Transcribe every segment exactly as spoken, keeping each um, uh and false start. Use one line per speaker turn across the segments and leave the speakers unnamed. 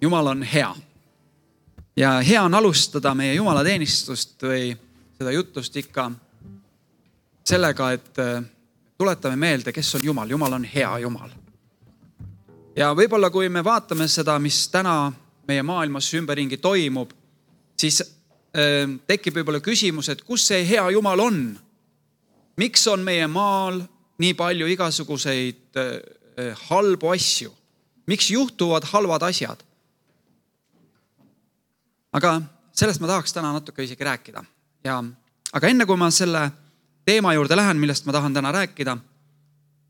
Jumal on hea. Ja hea on alustada meie jumalateenistust või seda jutust ikka sellega, et tuletame meelde, kes on Jumal. Jumal on hea Jumal. Ja võib-olla kui me vaatame seda, mis täna meie maailmas ümberringi toimub, siis äh, tekib võib-olla küsimus, et kus see hea Jumal on? Miks on meie maal nii palju igasuguseid äh, halbu asju? Miks juhtuvad halvad asjad? Aga sellest ma tahaks täna natuke isegi rääkida. Ja, aga enne kui ma selle teema juurde lähen, millest ma tahan täna rääkida,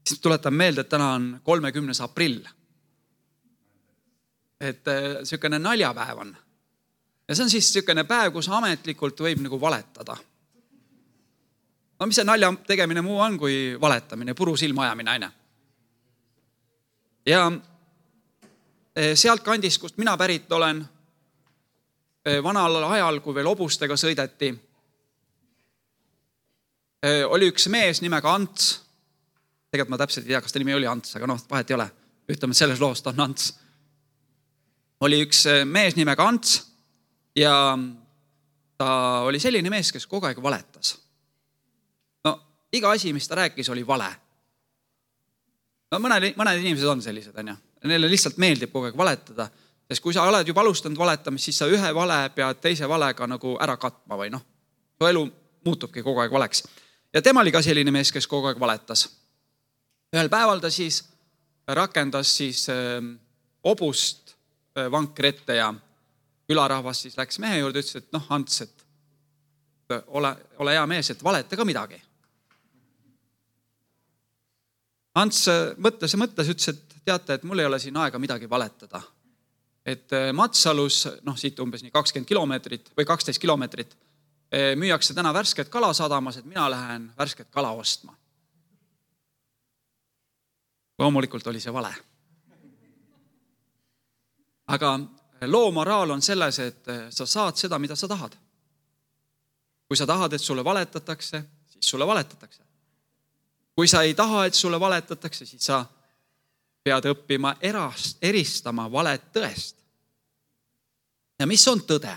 siis tuletan meelde, et täna on kolmekümnes aprill. Et selline naljapäev on. Ja see on siis selline päev, kus ametlikult võib nagu valetada. No mis see nalja tegemine muu on kui valetamine, puru silma ajamine, aine. Ja sealt kandist, kust mina pärit olen, vanal ajal, kui veel obustega sõideti, oli üks mees nimega Ants. Tegelikult ma täpselt ei tea, kas ta nimi oli Ants, aga noh, vahet ei ole. Ütleme, et selles loost on Ants. Oli üks mees nimega Ants ja ta oli selline mees, kes kogu aeg valetas. No, iga asi, mis ta rääkis, oli vale. No, mõned, mõned inimesed on sellised, on ju. Neile lihtsalt meeldib kogu aeg valetada. Sest kui sa oled juba alustanud valetama, siis sa ühe vale pead teise valega nagu ära katma või noh. Su elu muutubki kogu aeg valeks. Ja tema oli ka selline mees, kes kogu aeg valetas. Ühel päeval ta siis rakendas siis äh, obust äh, vankri ette ja külarahvas siis läks mehe juurde ja ütles, et noh, Ants, et ole, ole hea mees, et valeta ka midagi. Ants mõtles ja mõtles, ütles, et teate, et mul ei ole siin aega midagi valetada. Et Matsalus, noh siit umbes nii kakskümmend kilomeetrit või kaksteist kilomeetrit, müüakse täna värsket kala sadamas, et mina lähen värsket kala ostma. Loomulikult oli see vale. Aga loo moraal on selles, et sa saad seda, mida sa tahad. Kui sa tahad, et sulle valetatakse, siis sulle valetatakse. Kui sa ei taha, et sulle valetatakse, siis sa pead õppima erast, eristama valet tõest. Ja mis on tõde?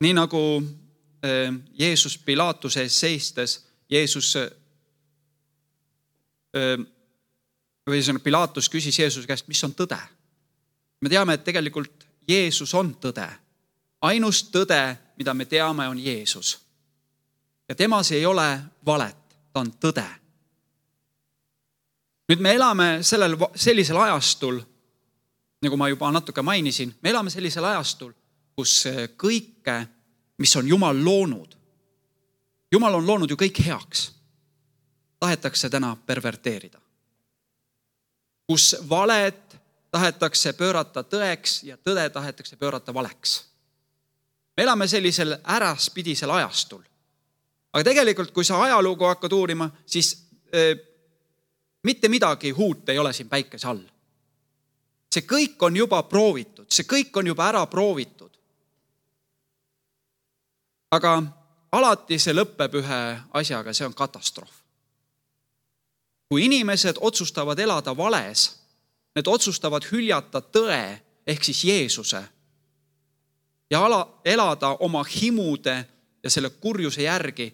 Nii nagu Jeesus Pilaatuse ees seistes, Jeesus, või Pilaatus küsis Jeesuse käest, mis on tõde? Me teame, et tegelikult Jeesus on tõde. Ainus tõde, mida me teame, on Jeesus. Ja temas ei ole valet, ta on tõde. Nüüd me elame sellel, sellisel ajastul, nagu ma juba natuke mainisin, me elame sellisel ajastul, kus kõike, mis on Jumal loonud, Jumal on loonud ju kõik heaks, tahetakse täna perverteerida. Kus valet tahetakse pöörata tõeks ja tõde tahetakse pöörata valeks. Me elame sellisel äraspidisel ajastul. Aga tegelikult, kui sa ajalugu hakkad uurima, siis äh, mitte midagi huut ei ole siin päikese all. See kõik on juba proovitud, see kõik on juba ära proovitud. Aga alati see lõpeb ühe asjaga, see on katastroof. Kui inimesed otsustavad elada vales, need otsustavad hüljata tõe ehk siis Jeesuse ja ala, elada oma himude ja selle kurjuse järgi,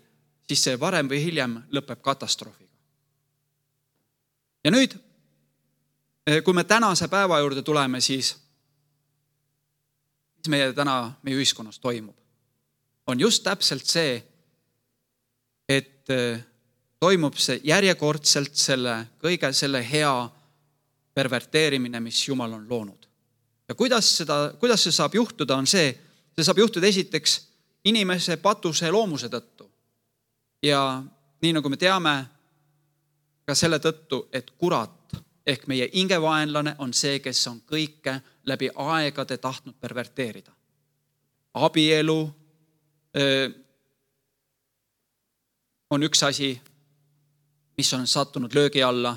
siis see varem või hiljem lõpeb katastroofiga. Ja nüüd, kui me tänase päeva juurde tuleme, siis mis meie täna meie ühiskonnas toimub, on just täpselt see, et toimub see järjekordselt selle kõige selle hea perverteerimine, mis Jumal on loonud. Ja kuidas, seda, kuidas see saab juhtuda, on see, see saab juhtuda esiteks inimese patuse loomuse tõttu. Ja nii nagu me teame, ka selle tõttu, et kurat ehk meie ingevaenlane on see, kes on kõike läbi aegade tahtnud perverteerida. Abielu öö, on üks asi, mis on sattunud löögi alla.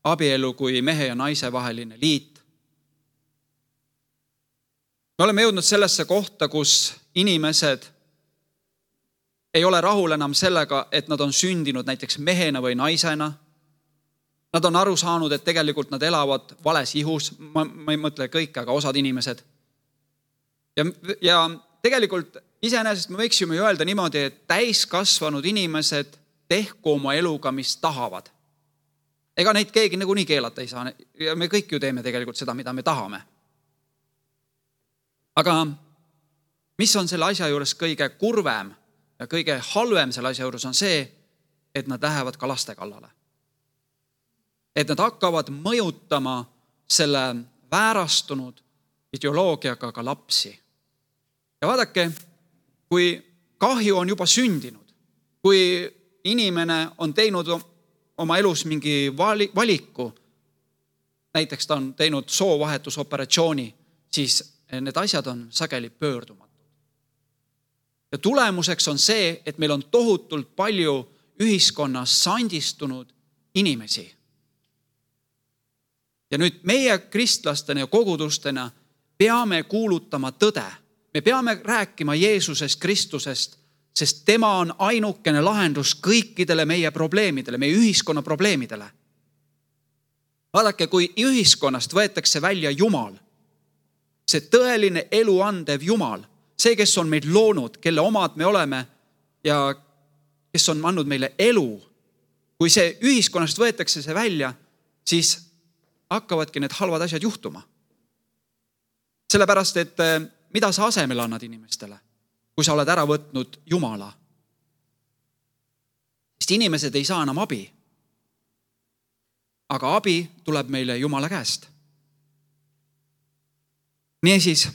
Abielu kui mehe ja naise vaheline liit. Me oleme jõudnud sellesse kohta, kus inimesed ei ole rahul enam sellega, et nad on sündinud näiteks mehena või naisena. Nad on aru saanud, et tegelikult nad elavad vales ihus. Ma, ma ei mõtle kõik, aga osad inimesed. Ja, ja tegelikult iseenesest me võiksime ju öelda niimoodi, et täiskasvanud inimesed tehku oma eluga, mis tahavad. Ega neid keegi nagu nii keelata ei saa. Ja me kõik ju teeme tegelikult seda, mida me tahame. Aga mis on selle asja juures kõige kurvem ja kõige halvem selle asja juures on see, et nad lähevad ka laste kallale. Et nad hakkavad mõjutama selle väärastunud ideoloogiaga ka lapsi. Ja vaadake, kui kahju on juba sündinud, kui inimene on teinud oma elus mingi valiku, näiteks ta on teinud soovahetusoperatsiooni, siis need asjad on sageli pöördumatud. Ja tulemuseks on see, et meil on tohutult palju ühiskonnas sandistunud inimesi. Ja nüüd meie kristlastena ja kogudustena peame kuulutama tõde. Me peame rääkima Jeesusest Kristusest, sest tema on ainukene lahendus kõikidele meie probleemidele, meie ühiskonna probleemidele. Vaadake, kui ühiskonnast võetakse välja Jumal, see tõeline elu andev Jumal, see, kes on meid loonud, kelle omad me oleme ja kes on andnud meile elu, kui see ühiskonnast võetakse see välja, siis hakkavadki need halvad asjad juhtuma. Sellepärast, et mida sa asemel annad inimestele, kui sa oled ära võtnud Jumala? Sest inimesed ei saa enam abi. Aga abi tuleb meile Jumala käest. Niisiis,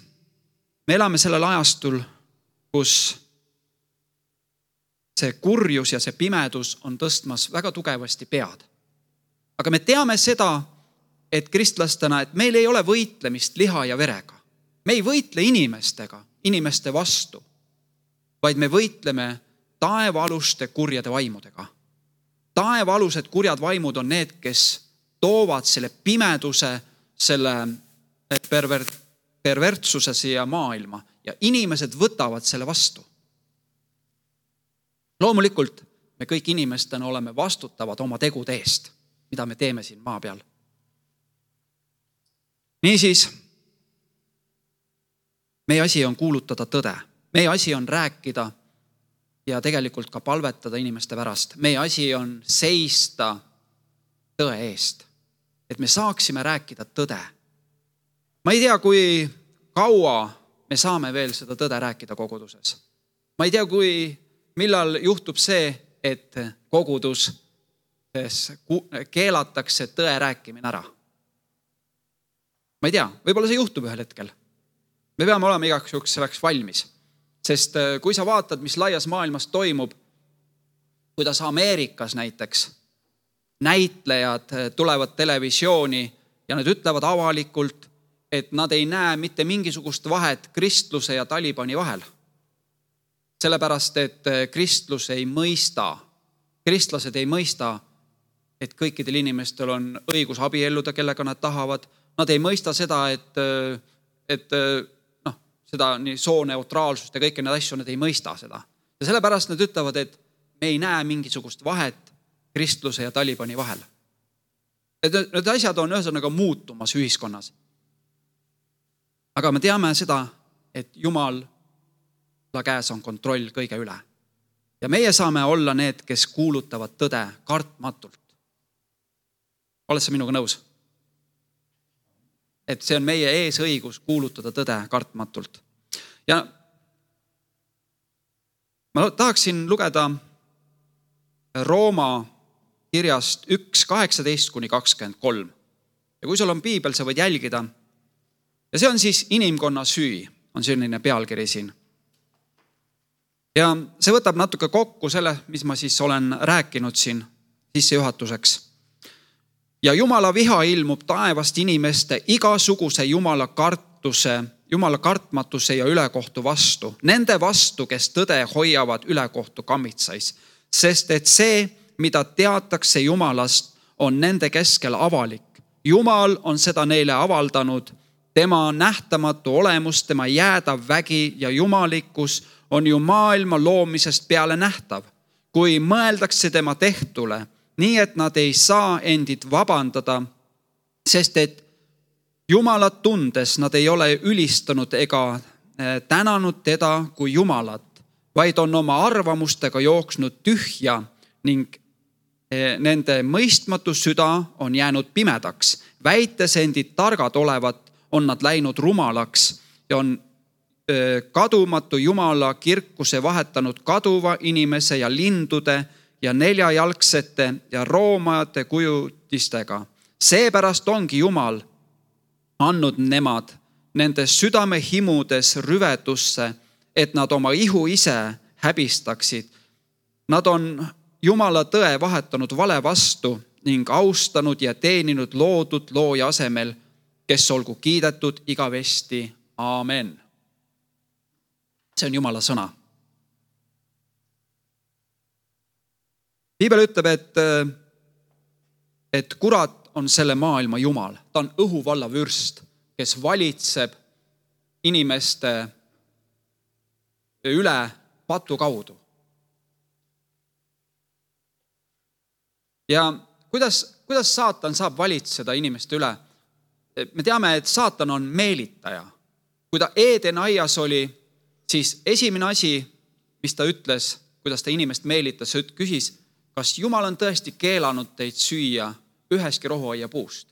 me elame sellel ajastul, kus see kurjus ja see pimedus on tõstmas väga tugevasti pead. Aga me teame seda, et kristlastena, et meil ei ole võitlemist liha ja verega. Me ei võitle inimestega, inimeste vastu, vaid me võitleme taevaaluste kurjade vaimudega. Taevaalused kurjad vaimud on need, kes toovad selle pimeduse, selle perver- pervertsuse siia maailma ja inimesed võtavad selle vastu. Loomulikult me kõik inimestena oleme vastutavad oma tegude eest, mida me teeme siin maa peal. Niisiis, meie asi on kuulutada tõde. Meie asi on rääkida ja tegelikult ka palvetada inimeste pärast. Meie asi on seista tõe eest, et me saaksime rääkida tõde. Ma ei tea, kui kaua me saame veel seda tõde rääkida koguduses. Ma ei tea, kui millal juhtub see, et kogudus keelatakse tõe rääkimine ära. Ma ei tea, võib-olla see juhtub ühel hetkel. Me peame olema igaks juhuks selleks valmis. Sest kui sa vaatad, mis laias maailmas toimub, kuidas Ameerikas näiteks näitlejad tulevad televisiooni ja nad ütlevad avalikult, et nad ei näe mitte mingisugust vahet kristluse ja Talibani vahel. Sellepärast, et kristlus ei mõista, kristlased ei mõista, et kõikidel inimestel on õigus abielluda, kellega nad tahavad. Nad ei mõista seda, et, et noh, seda nii sooneutraalsust ja kõiki need asju, nad ei mõista seda. Ja sellepärast nad ütlevad, et me ei näe mingisugust vahet kristluse ja Talibani vahel. Et need asjad on ühesõnaga muutumas ühiskonnas. Aga me teame seda, et Jumal käes on kontroll kõige üle. Ja meie saame olla need, kes kuulutavad tõde kartmatult. Oled sa minuga nõus? Et see on meie ees õigus kuulutada tõde kartmatult. Ja ma tahaksin lugeda Rooma kirjast üks kaheksateist kuni kakskümmend kolm. Ja kui sul on piibel, sa võid jälgida. Ja see on siis inimkonna süü, on selline pealkiri siin. Ja see võtab natuke kokku selle, mis ma siis olen rääkinud siin sissejuhatuseks. Ja Jumala viha ilmub taevast inimeste igasuguse Jumala kartuse, Jumala kartmatuse ja ülekohtu vastu. Nende vastu, kes tõde hoiavad ülekohtu kammitsais. Sest et see, mida teatakse Jumalast, on nende keskel avalik. Jumal on seda neile avaldanud. Tema nähtamatu olemus, tema jäädav vägi ja jumalikkus on ju maailma loomisest peale nähtav. Kui mõeldakse tema tehtule, nii et nad ei saa endid vabandada, sest et Jumalat tundes nad ei ole ülistanud ega tänanud teda kui Jumalat, vaid on oma arvamustega jooksnud tühja ning nende mõistmatu süda on jäänud pimedaks. Väites endid targad olevat, on nad läinud rumalaks ja on kadumatu Jumala kirkuse vahetanud kaduva inimese ja lindude ja neljajalgsete ja roomajate kujutistega. Seepärast ongi Jumal andnud nemad nende südame himudes rüvedusse, et nad oma ihu ise häbistaksid. Nad on Jumala tõe vahetanud vale vastu ning austanud ja teeninud loodud looja asemel, kes olgu kiidetud igavesti. Aamen. See on Jumala sõna. Piibel ütleb, et, et kurat on selle maailma Jumal. Ta on õhuvalla vürst, kes valitseb inimeste üle patu kaudu. Ja kuidas, kuidas saatan saab valitseda inimeste üle? Me teame, et saatan on meelitaja. Kui ta Eeden aias oli, siis esimene asi, mis ta ütles, kuidas ta inimest meelitas, küsis, kas Jumal on tõesti keelanud teid süüa üheski rohuaia puust.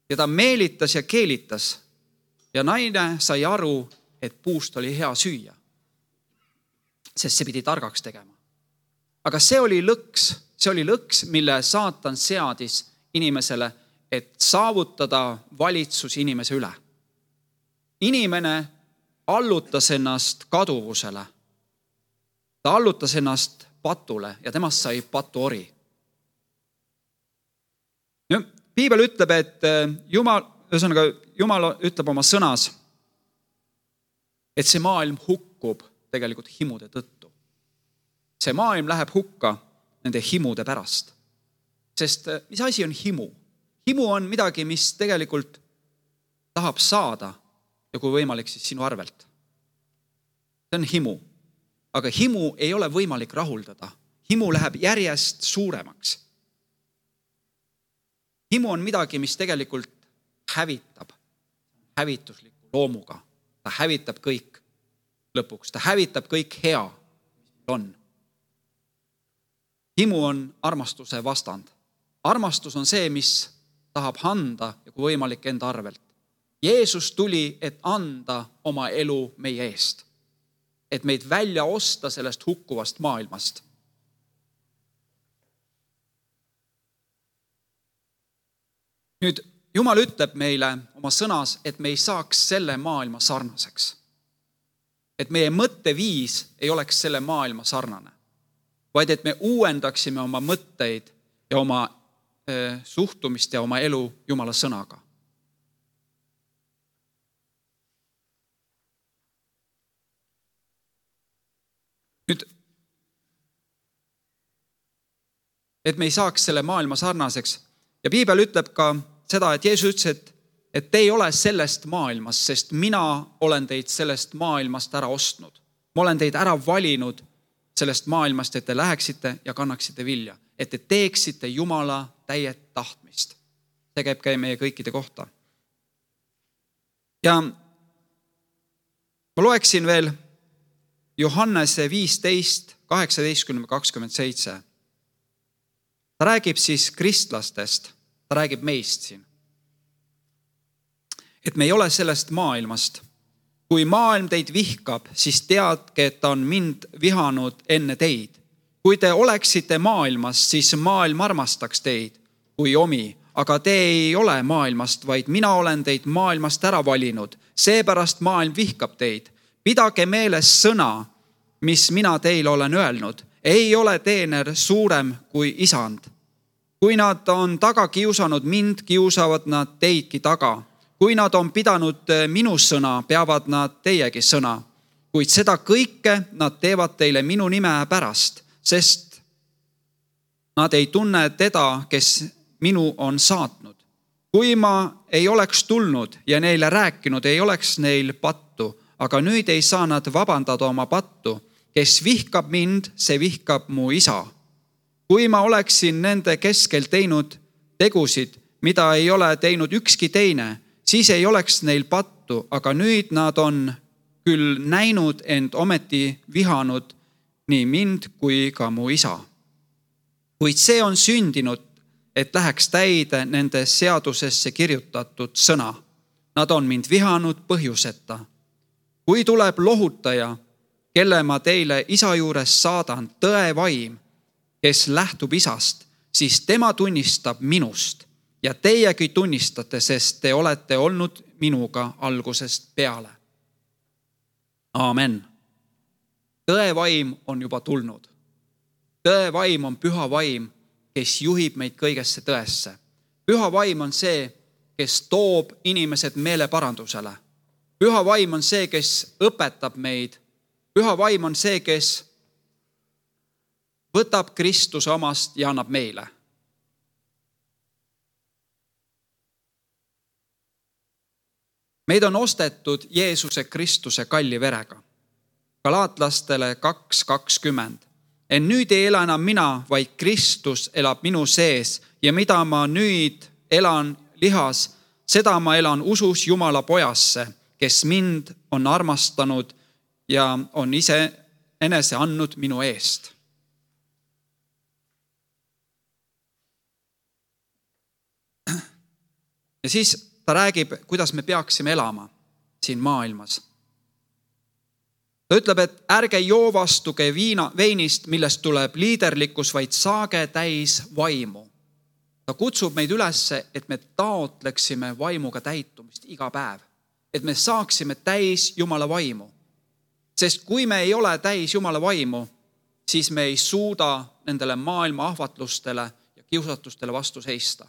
Ja ta meelitas ja keelitas ja naine sai aru, et puust oli hea süüa, sest see pidi targaks tegema. Aga see oli lõks, see oli lõks, mille saatan seadis inimesele, et saavutada valitsus inimese üle. Inimene allutas ennast kaduvusele. Ta allutas ennast patule ja temast sai patuori. Piibel ütleb, et Jumal, ühesõnaga, Jumal ütleb oma sõnas, et see maailm hukkub tegelikult himude tõttu. See maailm läheb hukka nende himude pärast. Sest mis asi on himu? Himu on midagi, mis tegelikult tahab saada ja kui võimalik, siis sinu arvelt. See on himu. Aga himu ei ole võimalik rahuldada. Himu läheb järjest suuremaks. Himu on midagi, mis tegelikult hävitab hävitusliku loomuga. Ta hävitab kõik lõpuks. Ta hävitab kõik hea, mis on. Himu on armastuse vastand. Armastus on see, mis tahab anda ja kui võimalik enda arvelt. Jeesus tuli, et anda oma elu meie eest. Et meid välja osta sellest hukkuvast maailmast. Nüüd, Jumal ütleb meile oma sõnas, et me ei saaks selle maailma sarnaseks. Et meie mõtteviis ei oleks selle maailma sarnane, vaid et me uuendaksime oma mõtteid ja oma äh, suhtumist ja oma elu Jumala sõnaga. Nüüd, et me ei saaks selle maailma sarnaseks. Ja Piibel ütleb ka seda, et Jeesus ütles, et, et te ei ole sellest maailmast, sest mina olen teid sellest maailmast ära ostnud. Ma olen teid ära valinud sellest maailmast, et te läheksite ja kannaksite vilja. Et te teeksite Jumala täiet tahtmist. See käib ka meie kõikide kohta. Ja ma loeksin veel Johannese viisteist, kaheksateist, kakskümmend seitse. Ta räägib siis kristlastest, ta räägib meist siin. Et me ei ole sellest maailmast. Kui maailm teid vihkab, siis teadke, et ta on mind vihanud enne teid. Kui te oleksite maailmast, siis maailm armastaks teid kui omi, aga te ei ole maailmast, vaid mina olen teid maailmast ära valinud. Seepärast maailm vihkab teid. Pidage meeles sõna, mis mina teile olen öelnud. Ei ole teener suurem kui isand. Kui nad on taga kiusanud mind, kiusavad nad teidki taga. Kui nad on pidanud minu sõna, peavad nad teiegi sõna. Kuid seda kõike nad teevad teile minu nime pärast, sest nad ei tunne teda, kes minu on saatnud. Kui ma ei oleks tulnud ja neile rääkinud, ei oleks neil pattu, aga nüüd ei saa nad vabandada oma pattu. Kes vihkab mind, see vihkab mu isa. kui ma oleksin nende keskel teinud tegusid, mida ei ole teinud ükski teine, siis ei oleks neil pattu, aga nüüd nad on küll näinud, ent ometi vihanud nii mind kui ka mu isa. Kuid see on sündinud, et läheks täide nende seadusesse kirjutatud sõna. Nad on mind vihanud põhjuseta. Kui tuleb lohutaja, kelle ma teile isa juures saadan, tõe vaim, kes lähtub isast, siis tema tunnistab minust ja teiegi tunnistate, sest te olete olnud minuga algusest peale. Aamen. Tõe vaim on juba tulnud. Tõe vaim on püha vaim, kes juhib meid kõigesse tõesse. Püha vaim on see, kes toob inimesed meeleparandusele. Püha vaim on see, kes õpetab meid. Püha vaim on see, kes võtab Kristuse omast ja annab meile. Meid on ostetud Jeesuse Kristuse kalli verega. Galaatlastele kaks kakskümmend. En nüüd ei ela enam mina, vaid Kristus elab minu sees ja mida ma nüüd elan lihas, seda ma elan usus Jumala pojasse, kes mind on armastanud ja on ise enese andnud minu eest. Ja siis ta räägib, kuidas me peaksime elama siin maailmas. Ta ütleb, et ärge joovastuge viina, veinist, millest tuleb liiderlikkus, vaid saage täis vaimu. Ta kutsub meid üles, et me taotleksime vaimuga täitumist iga päev. Et me saaksime täis Jumala vaimu. Sest kui me ei ole täis Jumala vaimu, siis me ei suuda nendele maailma ahvatlustele ja kiusatustele vastu seista.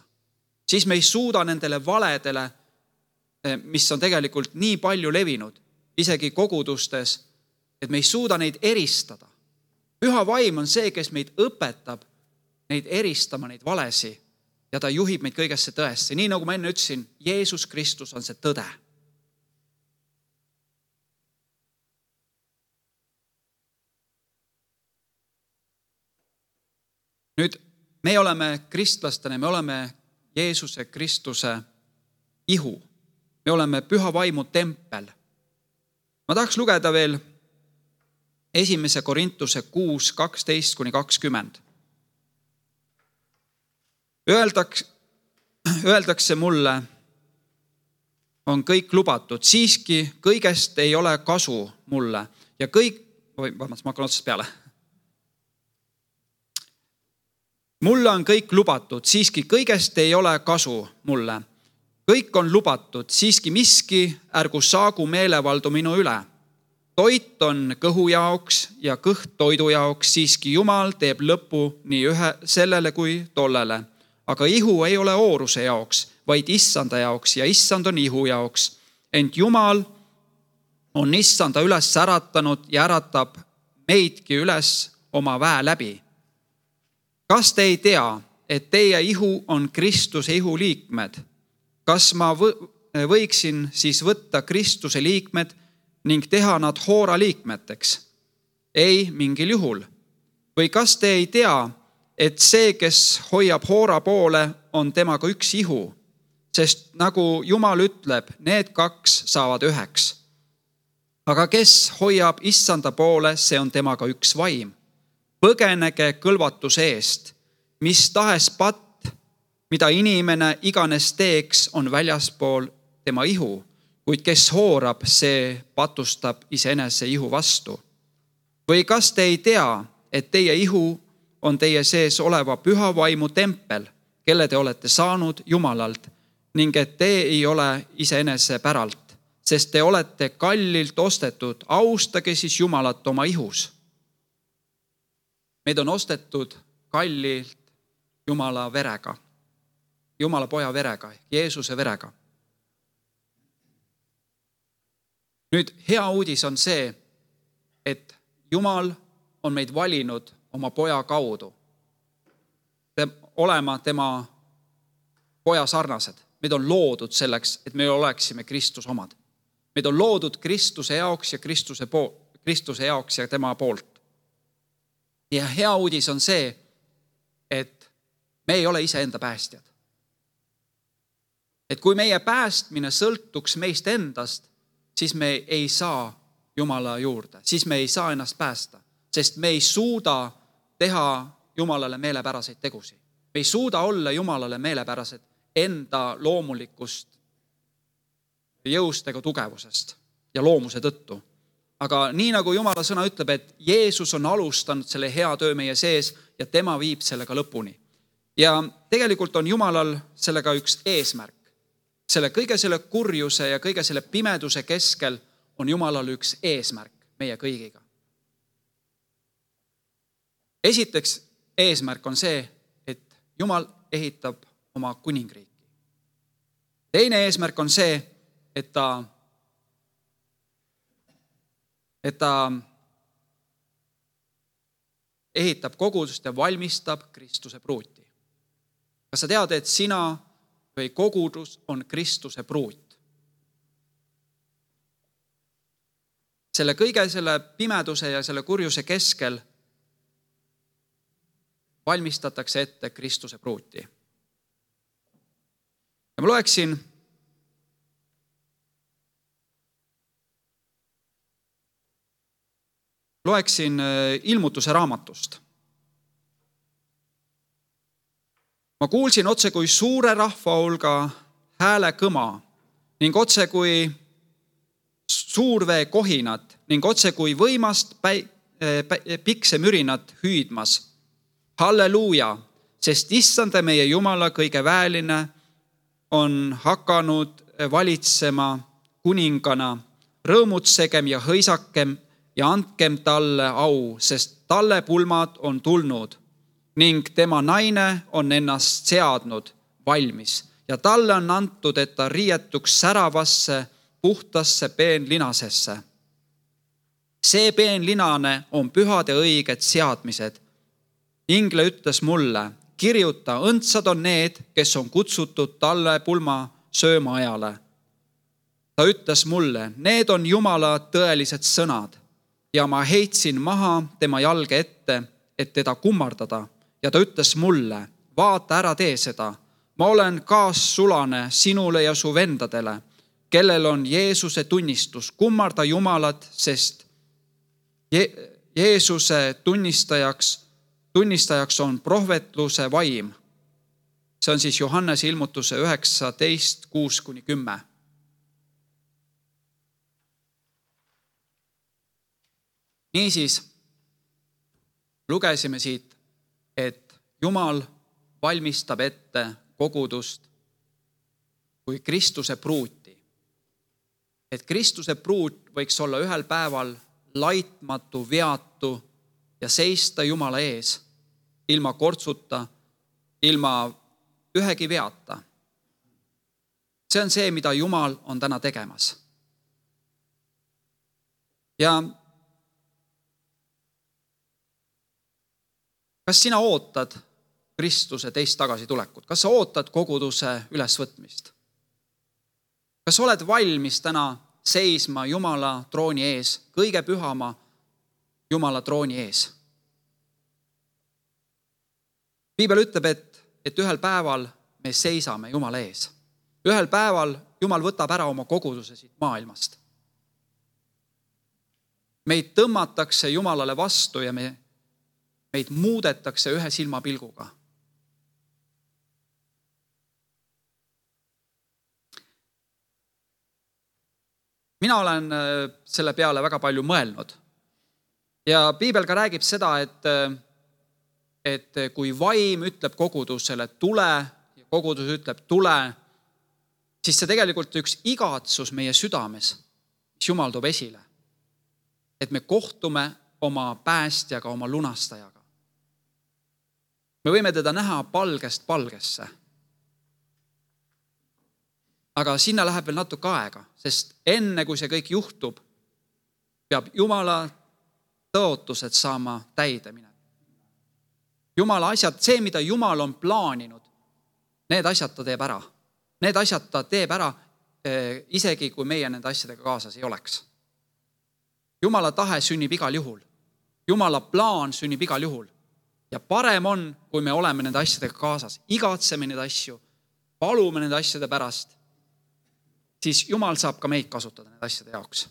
Siis me ei suuda nendele valedele, mis on tegelikult nii palju levinud, isegi kogudustes, et me ei suuda neid eristada. Püha vaim on see, kes meid õpetab neid eristama, neid valesi, ja ta juhib meid kõigesse tõesse. Nii nagu ma enne ütlesin, Jeesus Kristus on see tõde. Nüüd, me oleme kristlastena, me oleme Jeesuse Kristuse ihu. Me oleme püha vaimu tempel. Ma tahaks lugeda veel esimese Korintuse kuus kaksteist kuni kakskümmend. Öeldakse, öeldakse mulle, on kõik lubatud, siiski kõigest ei ole kasu mulle ja kõik, või vabandust, ma hakkan otsast peale. Mulle on kõik lubatud, siiski kõigest ei ole kasu mulle. Kõik on lubatud, siiski miski ärgu saagu meelevaldu minu üle. Toit on kõhu jaoks ja kõht toidu jaoks, siiski Jumal teeb lõpu nii ühe sellele kui tollele. Aga ihu ei ole ooruse jaoks, vaid issanda jaoks ja issand on ihu jaoks. Ent Jumal on issanda üles äratanud ja äratab meidki üles oma väe läbi. Kas te ei tea, et teie ihu on Kristuse ihu liikmed? Kas ma võiksin siis võtta Kristuse liikmed ning teha nad hoora liikmeteks? Ei, mingil juhul. Või kas te ei tea, et see, kes hoiab hoora poole, on temaga üks ihu? Sest nagu Jumal ütleb, need kaks saavad üheks. Aga kes hoiab issanda poole, see on temaga üks vaim. Põgenege kõlvatuse eest, mis tahes patt, mida inimene iganes teeks, on väljaspool tema ihu, kuid kes hoorab, see patustab iseenese ihu vastu. Või kas te ei tea, et teie ihu on teie sees oleva püha vaimu tempel, kelle te olete saanud Jumalalt, ning et te ei ole iseenese päralt, sest te olete kallilt ostetud, austage siis Jumalat oma ihus. Meid on ostetud kallilt Jumala verega, Jumala poja verega, Jeesuse verega. Nüüd hea uudis on see, et Jumal on meid valinud oma poja kaudu olema tema poja sarnased. Meid on loodud selleks, et me oleksime Kristus omad. Meid on loodud Kristuse jaoks ja Kristuse, pool, Kristuse jaoks ja tema poolt. Ja hea uudis on see, Me ei ole iseenda päästjad. Et kui meie päästmine sõltuks meist endast, siis me ei saa Jumala juurde, siis me ei saa ennast päästa, sest me ei suuda teha Jumalale meelepäraseid tegusid. Me ei suuda olla Jumalale meelepärased enda loomulikust jõust ega tugevusest ja loomuse tõttu. Aga nii nagu Jumala sõna ütleb, et Jeesus on alustanud selle hea töö meie sees ja tema viib sellega lõpuni. Ja tegelikult on Jumalal sellega üks eesmärk. Selle kõige selle kurjuse ja kõige selle pimeduse keskel on Jumalal üks eesmärk meie kõigiga. Esiteks eesmärk on see, et Jumal ehitab oma kuningriiki. Teine eesmärk on see, et ta, et ta ehitab kogudust ja valmistab Kristuse pruuti. Kas sa tead, et sina või kogudus on Kristuse pruut? Selle kõige selle pimeduse ja selle kurjuse keskel valmistatakse ette Kristuse pruuti. Ja ma loeksin loeksin Ilmutuse raamatust. Ma kuulsin otse kui suure rahva hulga hääle kõma ning otse kui suurvee kohinat ning otse kui võimast päi, päi, piksemürinat hüüdmas. Halleluuja, sest issanda meie Jumala kõige väeline on hakanud valitsema kuningana. Rõõmutsegem ja hõisakem ja andkem talle au, sest talle pulmad on tulnud ning tema naine on ennast seadnud valmis ja talle on antud, et ta riietuks säravasse, puhtasse peenlinasesse. See peenlinane on pühad ja õiged seadmised. Ingle ütles mulle, kirjuta, õndsad on need, kes on kutsutud talle pulma sööma ajale. Ta ütles mulle, need on Jumala tõelised sõnad ja ma heitsin maha tema jalge ette, et teda kummardada. Ja ta ütles mulle, vaata ära tee seda. Ma olen kaassulane sinule ja su vendadele, kellel on Jeesuse tunnistus. Kummarda Jumalat, sest Je- Jeesuse tunnistajaks, tunnistajaks on prohvetluse vaim. See on siis Johannese ilmutuse üheksateist kuus kuni kümme. Niisiis lugesime siit, et Jumal valmistab ette kogudust kui Kristuse pruuti. Et Kristuse pruut võiks olla ühel päeval laitmatu, veatu ja seista Jumala ees, ilma kortsuta, ilma ühegi veata. See on see, mida Jumal on täna tegemas. Ja kas sina ootad Kristuse teist tagasi tulekut? Kas sa ootad koguduse ülesvõtmist? Kas oled valmis täna seisma Jumala trooni ees, kõige pühama Jumala trooni ees? Piibel ütleb, et, et ühel päeval me seisame Jumala ees. Ühel päeval Jumal võtab ära oma koguduse siit maailmast. Meid tõmmatakse Jumalale vastu ja me meid muudetakse ühe silmapilguga. Mina olen selle peale väga palju mõelnud. Ja Piibel ka räägib seda, et, et kui vaim ütleb kogudusele tule ja kogudus ütleb tule, siis see tegelikult üks igatsus meie südames, mis Jumal toob esile. Et me kohtume oma päästjaga, oma lunastajaga. Me võime teda näha palgest palgesse. Aga sinna läheb veel natuke aega, sest enne kui see kõik juhtub, peab Jumala tõotused saama täide minema. Jumala asjad, see, mida Jumal on plaaninud, need asjad ta teeb ära. Need asjad ta teeb ära, isegi kui meie nende asjadega kaasas ei oleks. Jumala tahe sünnib igal juhul. Jumala plaan sünnib igal juhul. Ja parem on, kui me oleme nende asjadega kaasas, igatseme neid asju, palume nende asjade pärast, siis Jumal saab ka meid kasutada nende asjade jaoks.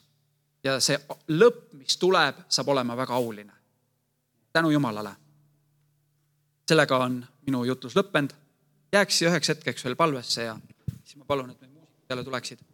Ja see lõpp, mis tuleb, saab olema väga auline. Tänu Jumalale. Sellega on minu jutlus lõppend. Jääks üheks hetkeks veel palvesse ja siis ma palun, et me muusikud jälle tuleksid.